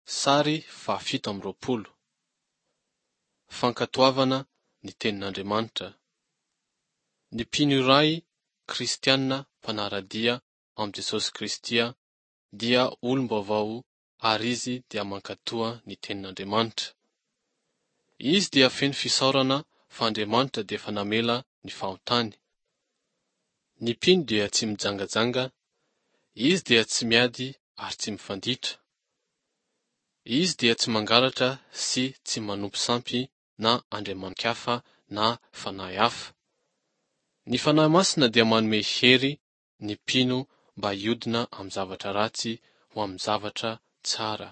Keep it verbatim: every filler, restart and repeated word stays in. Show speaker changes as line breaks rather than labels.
Sary fahafito amby roapolo. Fankatoavana ny Tenin'Andriamanitra. Ny mpino iray kristiana mpanara-dia amin'i Jesosy Kristy dia olom-baovao ary izy dia mankatoa ny Tenin'Andriamanitra. Izy dia feno fisaorana fa Andriamanitra dia efa namela ny fahotany. Ny mpino dia tsy mijangajanga, izy dia tsy miady ary tsy mifanditra. Izy dia tsy mangalatra sy tsy manompo sampy na andriamani-kafa na fanahy hafa. Ny Fanahy Masina dia manome hery ny mpino mba hiodina amin'ny zavatra ratsy ho amin'ny zavatra tsara.